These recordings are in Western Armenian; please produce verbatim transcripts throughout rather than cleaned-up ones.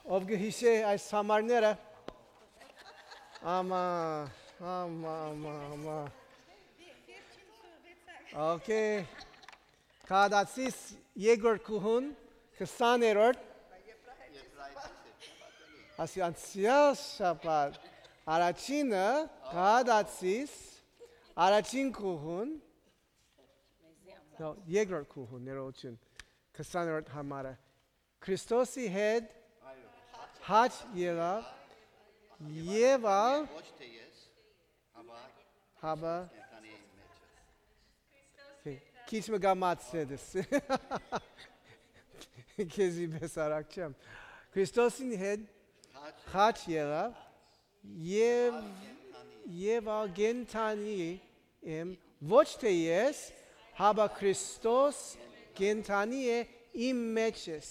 Ով կը յիշէ այս համարները։ Ամա, ամա, ամա, ամա։ Okay. Քահանացիս երկրորդ գոհուն, քսաներորդ, ասի անցեալ շաբաթ, առաջինը, քահանացիս առաջին գոհուն, no, երկրորդ գոհուն, ներողություն, քսաներորդ համարը, Քրիստոսի հետ հաճ ելաւ, եւ ալ, հապա, քիչ մը կամացցես, քեզի պէս արագ չեմ, Քրիստոսին հետ հաճ ելաւ, եւ, եւ ալ կենդանի եմ, ոչ թէ ես, հապա Քրիստոս կենդանի է իմ մեջ ես,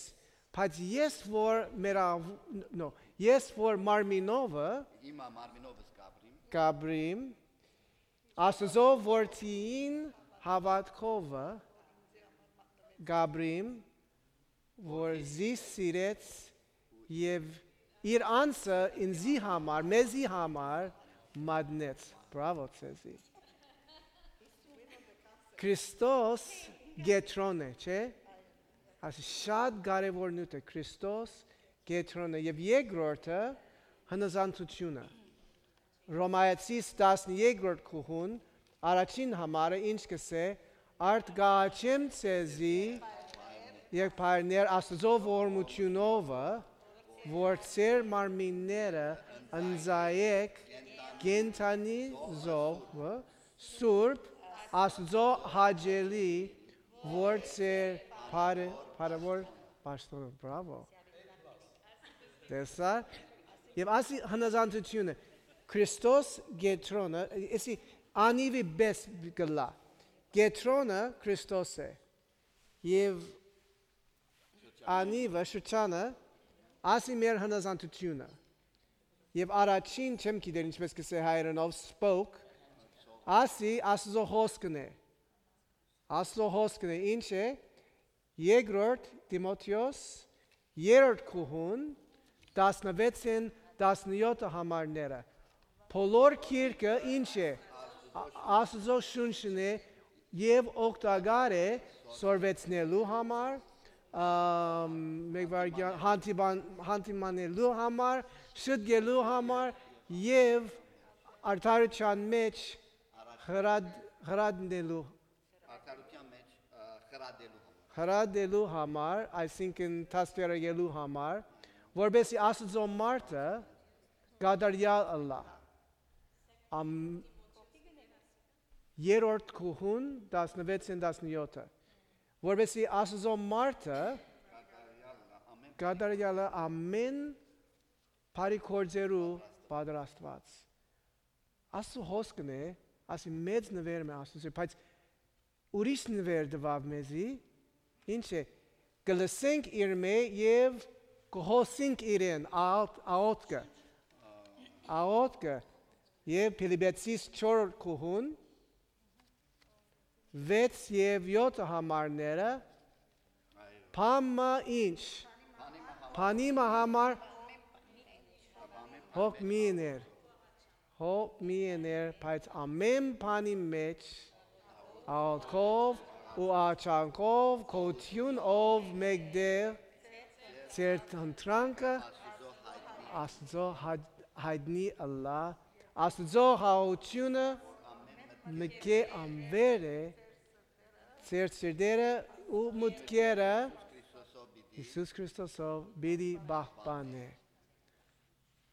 բայց ես որ մեր, no, ես որ մարմինովը, հիմա մարմինովս կապրիմ, կապրիմ, Աստուծոյ որդիին հաւատքովը կապրիմ, որ զիս սիրեց եւ իր անձը ինծի համար, մեզի համար մատնեց։ Բրավո ձեզի։ Քրիստոս կեդրոն է, չէ՞։ Ասի շատ կարեւոր նիւթ է, Քրիստոս կեդրոն է, եւ երկրորդը՝ հնազանդութիւնը։ Ռոմայացիս տասներկրորդ գոհուն, առաջին համարը ինչ կ'ըսէ, արդ կ'աղաչեմ ձեզի, եղբայրներ, Աստուծոյ ողորմութիւնովը, որ ձեր մարմինները ընծայէք կենդանի զոհ, սուրբ, Աստուծոյ հաճելի, որ ձեր բարը-, բարեւոր պաշտօնը, բրավո։ Տեսա՞ր։ Եւ ասի հնազանդութիւնը, Քրիստոս կեդրոնը, էսի անիվի պէս կ'ըլլայ։ Կեդրոնը Քրիստոս է։ Եւ անիվը, շրջանը, ասի մեր հնազանդութիւնը։ Եւ առաջին, չեմ գիտեր ինչպես կ'ըսէ հայերէնով, spoke, ասի Աստուծոյ խօսքն է։ Աստուծոյ խօսքն է, ինչ է, երկրորդ Տիմոթէոս, երրորդ գոհուն, տասնվեցէն տասնեօթը համարները։ Բոլոր գիրքը ինչ է, Ա-, Աստուծոյ շունչն է եւ օգտակար է սորվեցնելու համար, ամ, մեկվարկեան հանդիման-, հանդիմանելու համար, շտկելու համար եւ արդարութեան մեջ խրատ-, խրատնելու, արդարութեան մեջ, ը, խրատելու համար, խրատելու համար, այսինքն դաստիարակելու համար, որպեսզի Աստուծոյ մարդը կատարեալ ըլլայ։ Ամ-, երրորդ գոհուն, տասնվեցէն տասնեօթը, որպեսզի Աստուծոյ մարդը կատարեալը ամէն բարի գործերու պատրաստուած։ Աստուծոյ խօսքն է, ասի մեծ նուէր մը Աստուծոյ, բայց ուրիշ նուէր տուաւ մեզի, ինչ է, կը լսենք իրմէ եւ կը խօսենք իրեն, աղ-, աղօթքը, աղօթքը, եւ Փիլիպեցիս չորրորդ գոհուն, վեց եւ եօթը համարները, բան մը ինչ, բանի մը համար հոգ մի եներ, հոգ մի եներ, բայց ամէն բանի մեջ աղօթքով ու աղաչանքով գոյութիւն ով մէկտեղ ձեր ընտրանքը Աստուծոյ յայ-, յայտնի ըլլայ, Աստուծոյ խաղաղութիւնը մտքէ անվեր է, ձեր սիրտերը ու մտքերը Յիսուս Քրիստոսով պիտի պահպանէ։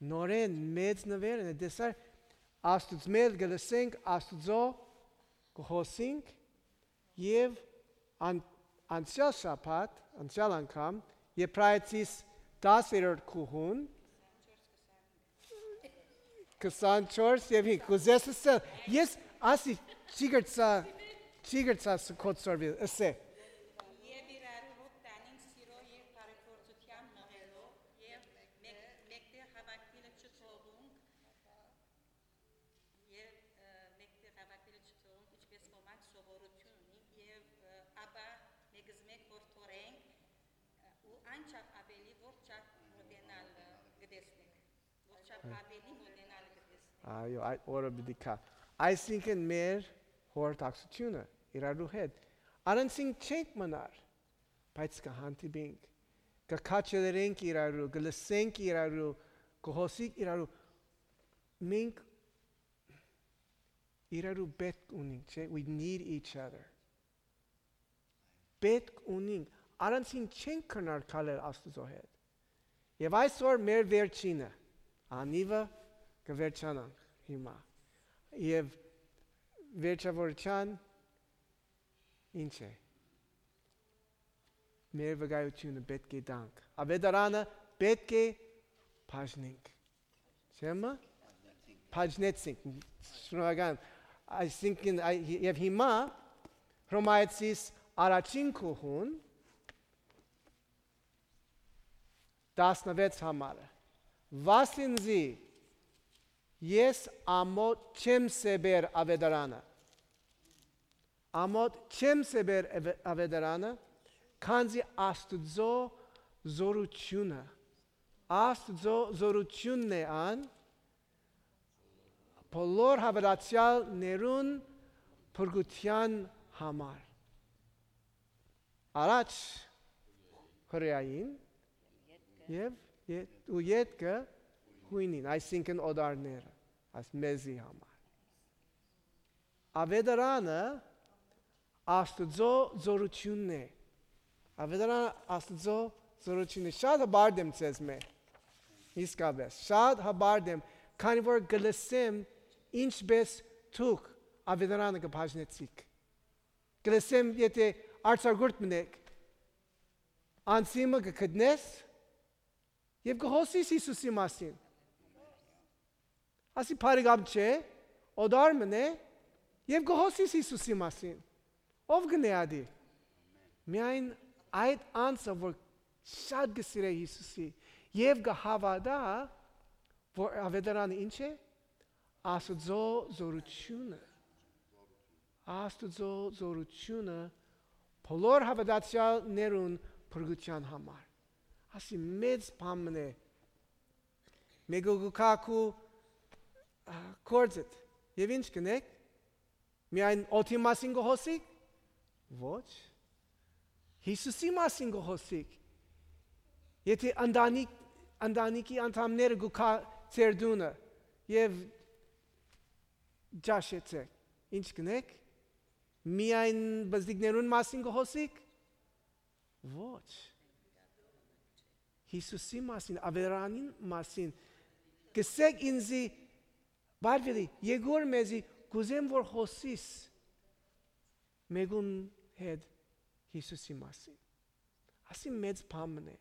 Նորէն մեծ նուէր է, տեսար, Աստուծմէ կը լսենք, Աստուծոյ կը խօսենք եւ ան-, անցեալ շաբաթ, անցեալ անգամ, Եբրայեցիս տասներորդ գոհուն, քսանչորս եւ հինգ, կ'ուզես ըսել, ես ասի, չի գրծա, չի գրծա ս-, կոչսորվիլ, ըսէ։ Եւ իրար հոգ տանինք սիրոյ եւ բարեգործութեան մղելով, եւ մէկ-, մէկտեղ հաւաքուիլը չթողունք, եւ, ը, մէկտեղ հաւաքուիլը չթողունք, ինչպես ոմանք սովորութիւն ունին, եւ, ը, ապա մէկզմէ կ'որդորենք, ը, ու անչափ աւելի որ չափ մոտենալ Այո, այդ օրը պիտի գայ։ Այսինքն մեր խորհրդակցութիւնը իրարու հետ։ Առանցին չենք մնար, բայց կը հանդիպինք, կը քաջալերենք իրարու, կը լսենք իրարու, կը հոսենք իրարու։ Մենք իրարու պետք ունենք, չէ՞։ We need each other. Պետք ունենք, առանցին չենք կրնար քալել Աստուծոյ հետ։ Եւ այսօր մեր վերջինը, անիվը կը վերջանանք հիմա։ Եւ վերջավորչան ինչ է։ Մեր վկայութիւնը պետք է տանք։ Ավետարանը պետք է բաժնենք։ Չէ՞ մը։ Բաժնեցինք։ Շնորհակալ։ Այսինքն, այ-, եւ հիմա Հռոմայեցիս առաջին գլխուն, տասնվեց համարը։ Վասինզի ես ամոթ չեմ սեպեր ավետարանը։ Ամոթ չեմ սեպեր ավե-, ավետարանը, քանզի Աստուծոյ զօրութիւնը, Աստուծոյ զօրութիւնն է ան, բոլոր հաւատացեալներուն փրկութեան համար։ Առաջ Հրեային եւ ե-, ու ետքը յոյնին, այսինքն օտարները, այս մեզի համար։ Ավետարանը Աստուծոյ զօրութիւնն է։ Ավետարանը Աստուծոյ զօրութիւնն է։ Շատ հպարտ եմ ձեզմէ։ Իսկապէս, շատ հպարտ եմ, քանի որ կը լսեմ ինչպէս դուք ավետարանը կը բաժնեցիք։ Կը լսեմ, եթէ արձակուրդ մնեք, անցիմը կը գտնես եւ կը հոսիս Յիսուսի մասին։ Ասի բարեկամ չէ, օտար մնե եւ կը հոսիս Յիսուսի մասին։ Ո՞վ կը նայատի։ Միայն այդ անձը, որ շատ կը սիրէ Յիսուսի եւ կը հաւատայ, որ ավետարանը ինչ է, Աստուծոյ զօրութիւնը, Աստուծոյ զօրութիւնը բոլոր հաւատացեալներուն փրկութեան համար։ Ասի մեծ բան մնե։ Մեկը կու գայ քու, ա, գործդ եւ ինչ կ'ընեք։ Միայն օդի մասին կը հոսիկ։ Ոչ։ Յիսուսի մասին կը հոսիկ։ Եթէ ընտանիք, ընտանիքի անդամները կու գայ ձեր տունը եւ ճաշեցեք, ինչ կ'ընեք։ Միայն բզդիկներուն մասին կը հոսիկ։ Ոչ։ Յիսուսի մասին, ավետարանին մասին։ Կ'ըսեք ինձի, Բարբերի, եկուր մեզի, կ'ուզեմ որ հոսիս մեկուն հետ Յիսուսի մասին։ Ասի մեծ բան մնե։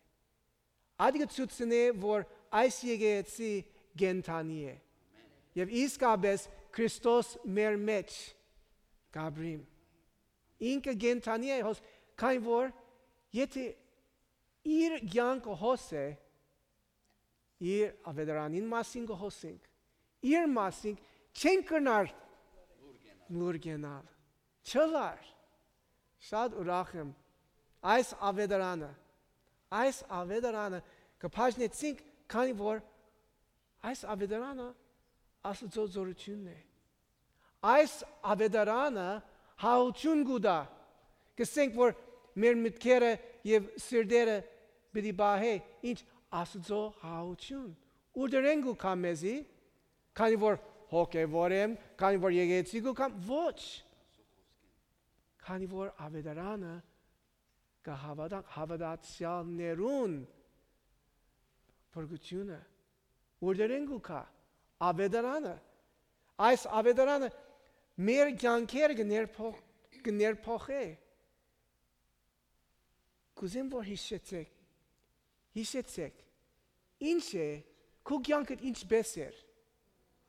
Ատիկը ցուցնէ որ այս եկեղեցի կենդանի է։ Եւ իսկապէս Քրիստոս մեր մեջ կ'ապրիմ։ Ինքը կենդանի է հոս, քանի որ եթէ իր կեանքը հոս է, իր ավետարանին մասին կը հոսենք, իր մասին չենք կրնար լուր կենալ, չլար։ Շատ ուրախ եմ այս ավետարանը, այս ավետարանը կը բաժնեցինք, քանի որ այս ավետարանը Աստուծոյ զօրութիւնն է։ Այս ավետարանը հաղթութիւն կու տայ։ Կ'ըսենք որ մեր մտքերը եւ սիրտերը պիտի պահէ ինչ Աստուծոյ հաղթութիւն։ Ուրդերէն կու գայ մեզի, քանի որ հոգեվոր եմ, քանի որ եկեղեցի կու գայ, ոչ։ Քանի որ ավետարանը կը հաւատանք հաւատացեալներուն փրկութիւնը, ուրդերէն կու գայ ավետարանը, այս ավետարանը մեր կեանքերը կը ներփոխ-, կը ներփոխէ։ Կ'ուզեմ որ յիշեցեք, յիշեցեք, ինչ է, քու կեանքդ ինչպէս էր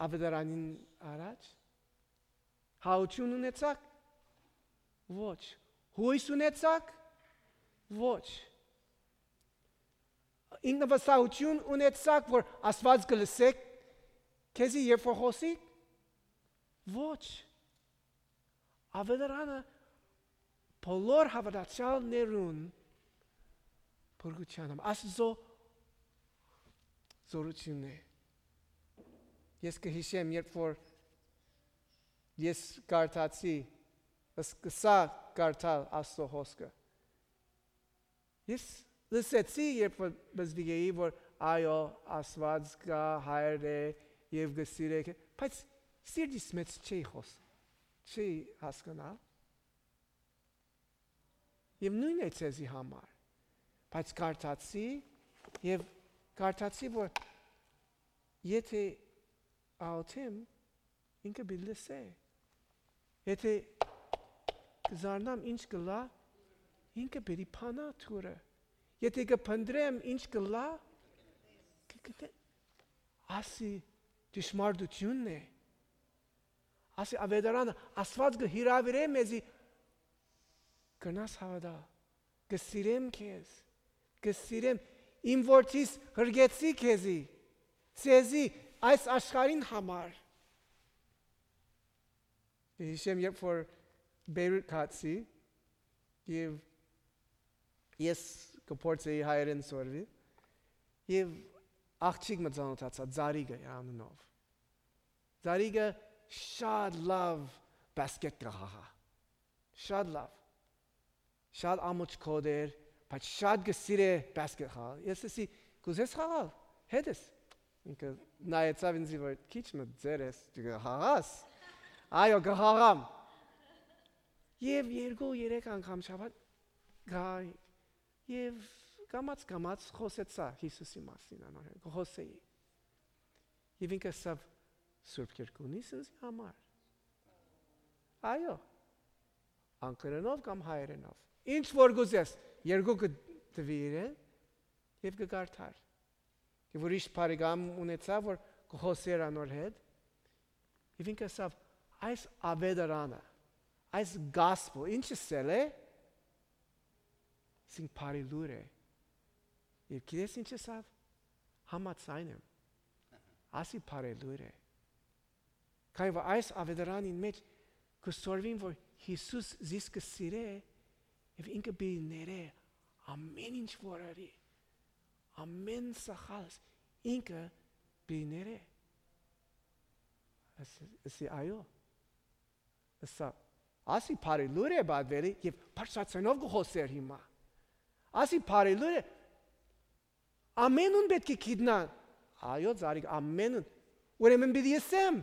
ավետարանին առաջ։ Հաութիւն ունեցաք։ Ոչ։ Յոյս ունեցաք։ Ոչ։ Ինքնավստահութիւն ունեցաք որ Աստուած կը լսեք քեզի երբ որ խօսիկ։ Ոչ։ Ավետարանը բոլոր հաւատացեալներուն փրկութեան համար Աստուծոյ զօրութիւնն է։ Ես կը յիշեմ, երբ որ ես կարդացի, սկսա կարդալ Աստուծոյ խօսքը։ Ես լսեցի, երբ որ բզդիկ էի, որ այո, Աստուած կայ, հայր է եւ կը սիրէ, բայց սիրտիս մէջ չէի խօս, չէի հասկնալ։ Եւ նոյնն է ձեզի համար։ Բայց կարդացի եւ կարդացի, որ եթե աղօթեմ, ինքը պիտի լսէ։ Եթե կը զարնամ ինչ կ'ըլլայ, ինքը պիտի բանայ դուռը։ Եթե կը փնտռեմ ինչ կ'ըլլայ, կը գտնեմ։ Ասի ճշմարտութիւնն է։ Ասի Ավետարանը, Աստուած կը հրաւիրէ մեզի, կրնաս հաւատալ, կը սիրեմ քեզ, կը սիրեմ, իմ որդիս յրկեցի քեզի, ձեզի, այս աշխարհին համար։ Յիշեմ, երբ որ Բեյրութ գացի, եւ ես կը փորձեի հայերէն սորվի, եւ աղջիկ մը ծանօթացայ, Զարիկը անունով։ Զարիկը շատ լաւ բասկետ կը խաղայ։ Շատ լաւ։ Շատ ամոչ կոտ էր, բայց շատ կը սիրէ բասկետ խաղալ։ Ես ըսի, «Կ'ուզես խաղալ հետս»։ Ինքը նայեցաւ ինձի, որ քիչ մը ձեր ես, դու կը խաղաս։ Այո, կը խաղամ։ Եւ երկու, երեք անգամ շաբաթ գայ, եւ կամաց-կամաց խօսեցայ Յիսուսի մասին անոր հետ, կը խօսէի։ Եւ ինքը ըսաւ, «Սուրբ Երկունի՞ս ինձի համար»։ Այո, անգլերէնով կամ հայերէնով։ Ինչ որ կ'ուզես, երկուքը տուի իրեն, եւ կը կարդար։ Եւ ուրիշ բարեկամ ունեցայ, որ կը խօսէր անոր հետ, եւ ինքը ըսաւ, «Այս Ավետարանը, այս gospel, ինչ ըսել է, ասինք բարի լուր է»։ Եւ գիտես ինչ ըսաւ, «Համաձայն եմ, ասի բարի լուր է»։ Քանի որ այս Ավետարանին մէջ կը սորվին, որ Յիսուս զիս կը սիրէ եւ ինքը պիտի ներէ ամէն ինչ որ ըրի, ամէն սխալս ինքը պիտի ներէ։ Ըս-, ըսի, «Այո»։ Ըսա, «Ասի բարի լուր է», պատուելի, եւ բարձրաձայնով կը խօսէր հիմա։ «Ասի բարի լուր է, ամէնուն պէտք է գիտնան»։ «Այո, Զարիկ, ամէնուն»։ «Ուրեմն պիտի ըսեմ»։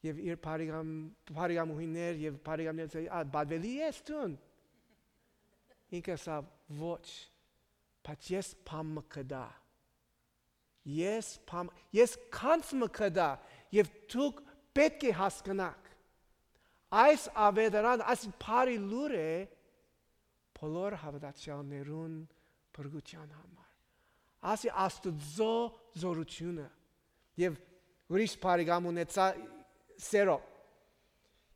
Եւ իր բարեկամ-, բարեկամուհիներ եւ բարեկամներ ըսին, «Ա, պատուելի ես դուն»։ Ինքը ըսաւ, «Ոչ, բայց ես բան մը գտայ։ Ես բան, ես գանձ մը գտայ եւ դուք պէտք է հասկնաք։ Այս Ավետարան, այս բարի լուր է բոլոր հաւատացեալներուն փրկութեան համար»։ Ասի Աստուծոյ զօրութիւնը։ Եւ ուրիշ բարեկամ ունեցայ սերո։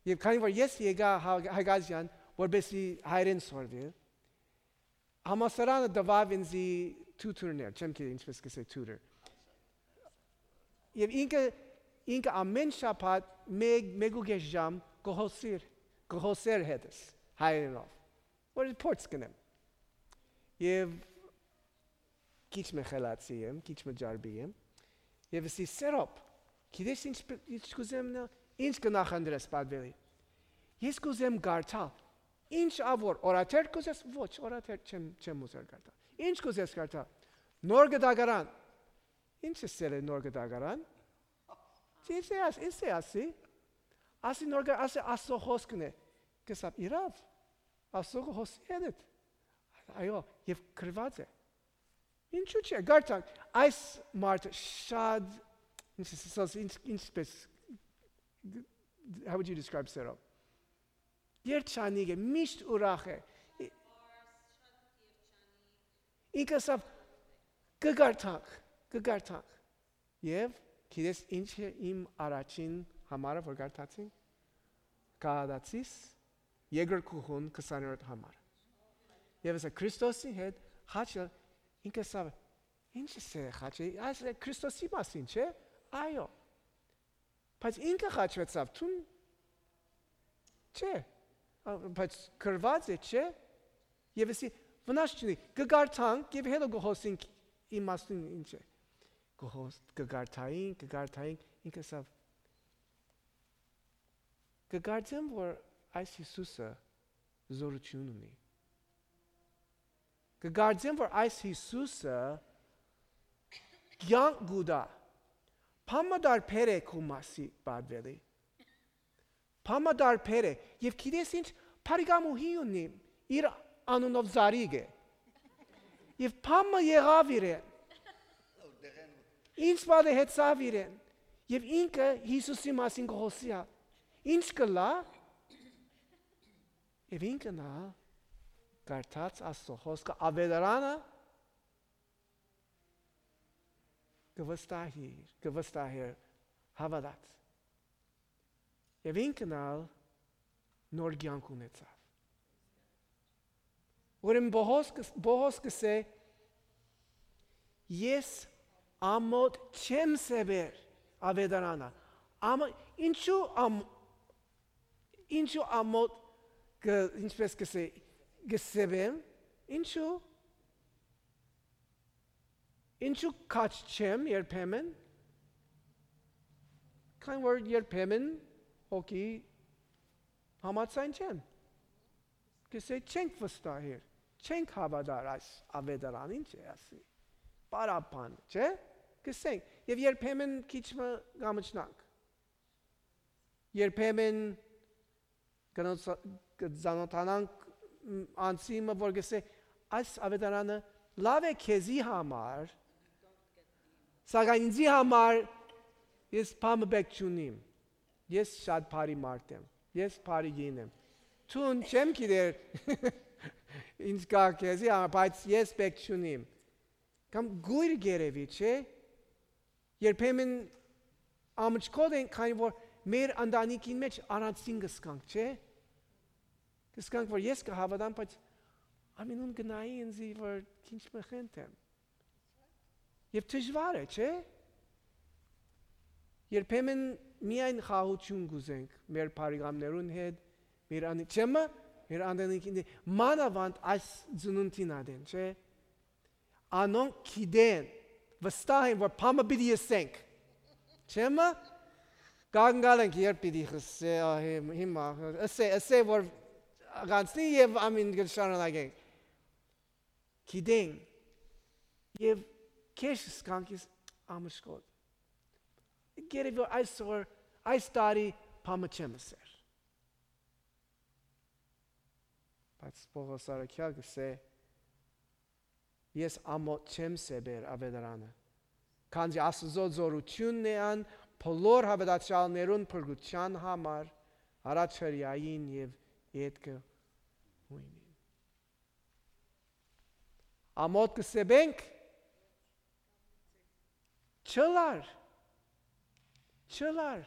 Եւ քանի որ ես եկայ Հա-, Հակազեան, որպեսզի հայերէն սորվի, համալսարանը տուաւ ինձի tutor-ներ, չեմ գիտեր ինչպես կ'ըսէ tutor։ Եւ ինքը, ինքը ամէն շաբաթ մէկ, մէկ ու կէս ժամ կը խօսիր, կը խօսէր հետս հայերէնով, որ փորձ կ'ընեմ։ Եւ քիչ մը խելացի եմ, քիչ մը ջարդի եմ։ Եւ ըսի, «Սերոբ, գիտես ինչ պ-, ինչ կ'ուզեմ նա, ինչ կը նախընտրես պատուելի»։ «Ես կ'ուզեմ կարդալ»։ «Ինչ ա որ, օրաթերթ կ'ուզես»։ «Ոչ, օրաթերթ չեմ, չեմ ուզեր կարդալ»։ «Ինչ կ'ուզես կարդալ»։ «Նոր կտակարան»։ «Ինչ ըսել է նոր կտակարան»։ «Ինչ է աս-, ինչ է ասի»։ «Ասի նոր կտակարան, ասի Աստուծոյ խօսքն է»։ Կ'ըսաւ, «Իրաւ, Աստուծոյ խօսի հետ»։ «Այո, եւ գրուած է»։ «Ինչու՞ չէ, կարդանք»։ Այս մարդը շատ, ինչ, ինչ, ինչպես, how would you describe սերոբ։ Երջանիկ է, միշտ ուրախ է։ Ինքը ասաւ, «Կը կարդանք, կը կարդանք»։ Եւ գիտես ինչ է իմ առաջին համարը, որ կարդացինք։ Գաղատացիս երկրորդ գլխուն քսաներորդ համար։ Եւ ասա, Քրիստոսի հետ խաչը, ինքը ասաւ, «Ինչ է սերը խաչը, այս Քրիստոսի մասին չէ»։ «Այո»։ «Բայց ինքը խաչուեցաւ, դուն չէ»։ «Ա, բայց գրուած է, չէ»։ Եւ ըսի, «Վնաս չունի, կը կարդանք եւ հետո կը խօսենք իմաստուն ինչ է»։ կը հոս-, կը կարդային, կը կարդային, ինք ըսաւ, «Կը կարծեմ, որ այս Յիսուսը զօրութիւն ունի։ Կը կարծեմ, որ այս Յիսուսը կեանք կու տայ։ Բան մը տարբեր է քու մասի պատուելի։ Բան մը տարբեր է։ Եւ գիտես ինչ, բարեկամուհի ունի, իր անունով Զարիկ է։ Եւ բան մը եղաւ իրեն։ Ինչ պատահեցաւ իրեն։ Եւ ինքը Յիսուսի մասին կը խօսի ա։ Ինչ կ'ըլլայ»։ Եւ ինքը նայ, կարդաց Աստուծոյ խօսքը, Աւետարանը կը վստահի, կը վստահէր, հաւատաց։ Եւ ինքն ալ նոր կեանք ունեցաւ։ Ուրեմն Պողոս կը, Պողոս կ'ըսէ, «Ես ամօթ չեմ սեւեր Աւետարանը»։ Ամը-, ինչու ամ-, ինչու ամօթ կը, ինչպես կ'ըսէ, կը սեւեմ, ինչու, ինչու քաջ չեմ երբեմն, քանի որ երբեմն հոգի համաձայն չեմ։ Կ'ըսէ, չենք վստահեր, չենք հաւատար այս Աւետարան, ինչ է ասի, պարապան, չէ՞, կ'ըսենք, եւ երբեմն քիչ մը կ'ամչնանք։ Երբեմն կնոց-, կը ծանոթանանք, մ, անձի մը, որ կ'ըսէ, «Այս Աւետարանը լաւ է քեզի համար, սակայն ինձի համար ես բան մը պէտք չունիմ։ Ես շատ բարի մարդ եմ, ես բարի կին եմ։ Դուն չեմ գիտեր ինչ կայ քեզի համար, բայց ես պէտք չունիմ»։ Կամ կոյր կ'երեւի, չէ՞։ Երբեմն ամչկոտ ենք, քանի որ մեր ընտանիքին մէջ առանձին կ'զգանք, չէ՞։ Կ'զգանք, որ ես կը հաւատամ, բայց ամենուն կը նայի ինձի, որ ինչ մը խենթ եմ։ Եւ դժուար է, չէ՞։ Երբեմն միայն խաղաղութիւն կ'ուզենք մեր բարեկամներուն հետ, մեր անի-, չէ՞, մը, մեր ընտանիքին հետ, մանաւանդ այս ծնունդին ատեն, չէ՞։ Անոնք գիտեն, վստահ են, որ բան մը պիտի ըսենք, չէ՞, մը, կանգալ ենք, երբ պիտի ըսէ, ա, հիմ-, հիմա, ըսէ, ըսէ, որ կանցնի եւ ամին կը շարունակենք։ Գիտեն, եւ քեշ զգանք ես ամշկոտ։ Գերեւի այսօր, այս տարի բան մը չեմ ըսեր։ Բայց Պողոս առաքեալ կ'ըսէ, «Ես ամօթ չեմ սեբեր Աւետարանը, քանզի Աստուծոյ զօրութիւնն է ան բոլոր հաւատացեալներուն փրկութեան համար, առաջ Հրեային եւ ետքը հոյնին»։ Ամօթ կը սեբենք, չըլլար, չըլլար։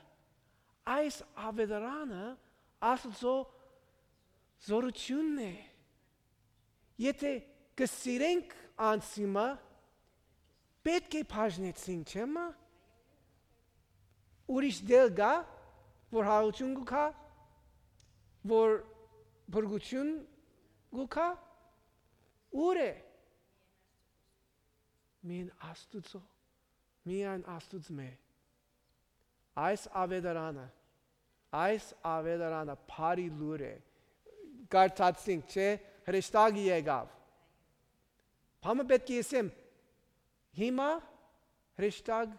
Այս Աւետարանը Աստուծոյ զօրութիւնն է։ Եթէ կը սիրենք անձի մը, պէտք է բաժնեցինք, չէ՞, մը։ Ուրիշ դեր կայ, որ հարություն կու գայ, որ փրկութիւն կու գայ, ո՞ւր է։ Միայն Աստուծոյ, միայն Աստուծմէ։ Այս Աւետարանը, այս Աւետարանը բարի լուր է։ Կարդացինք, չէ՞, հրեշտակը եկաւ։ Բան մը պէտք է ըսեմ, հիմա հրեշտակ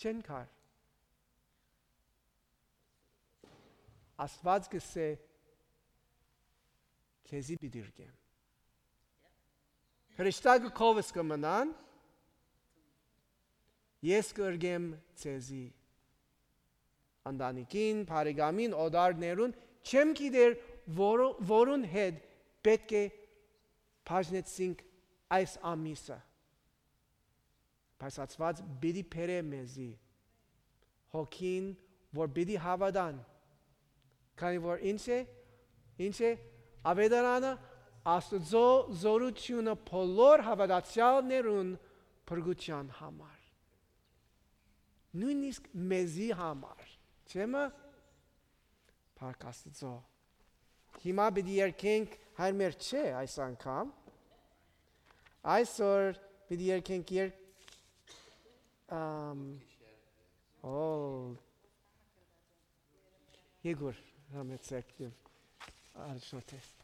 չեն կար։ Աստուած կ'ըսէ, «Քեզի պիտի ըրկեմ»։ Հրեշտակը քովս կը մնան, ես կ'ըրկեմ ձեզի։ Ընտանիքին, բարեկամին, օտարներուն, չեմ գիտեր, որո-, որուն հետ պէտք է բաժնեցինք այս ամիսը։ Բայց Աստուած պիտի բերէ մեզի հոգին, որ պիտի հաւատան, քանի որ ինչ է, ինչ է, Աւետարանը, Աստուծոյ զօրութիւնը բոլոր հաւատացեալներուն փրկութեան համար։ Նոյնիսկ մեզի համար, չէ՞, մը, փառք Աստուծոյ։ Հիմա պիտի երգենք, հայր մեր չէ այս անգամ։ Այսօր պիտի երգենք երգ Um, all Ygor, համեցեք եւ առաջնորդեք։